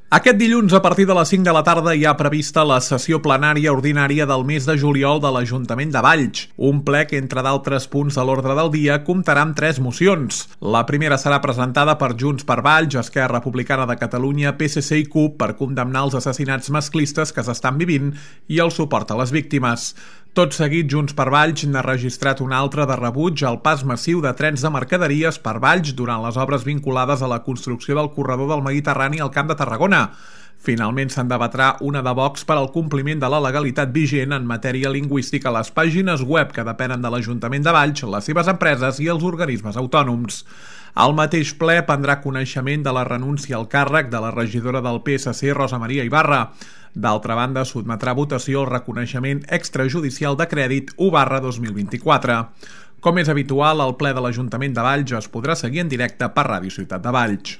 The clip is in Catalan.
Aquest dilluns, a partir de les 5 de la tarda, hi ha prevista la sessió plenària ordinària del mes de juliol de l'Ajuntament de Valls. Un ple que, entre d'altres punts de l'ordre del dia, comptarà amb 3 mocions. La primera serà presentada per Junts per Valls, Esquerra Republicana de Catalunya, PSC i CUP per condemnar els assassinats masclistes que s'estan vivint i el suport a les víctimes. Tot seguit, Junts per Valls n'ha registrat una altra de rebuig al pas massiu de trens de mercaderies per Valls durant les obres vinculades a la construcció del corredor del Mediterrani al Camp de Tarragona. Finalment se'n debatrà una de Vox per al compliment de la legalitat vigent en matèria lingüística a les pàgines web que depenen de l'Ajuntament de Valls, les seves empreses i els organismes autònoms. Al mateix ple prendrà coneixement de la renúncia al càrrec de la regidora del PSC, Rosa Maria Ibarra. D'altra banda, sotmetrà a votació el reconeixement extrajudicial de crèdit 1/2024. Com és habitual, el ple de l'Ajuntament de Valls es podrà seguir en directe per Ràdio Ciutat de Valls.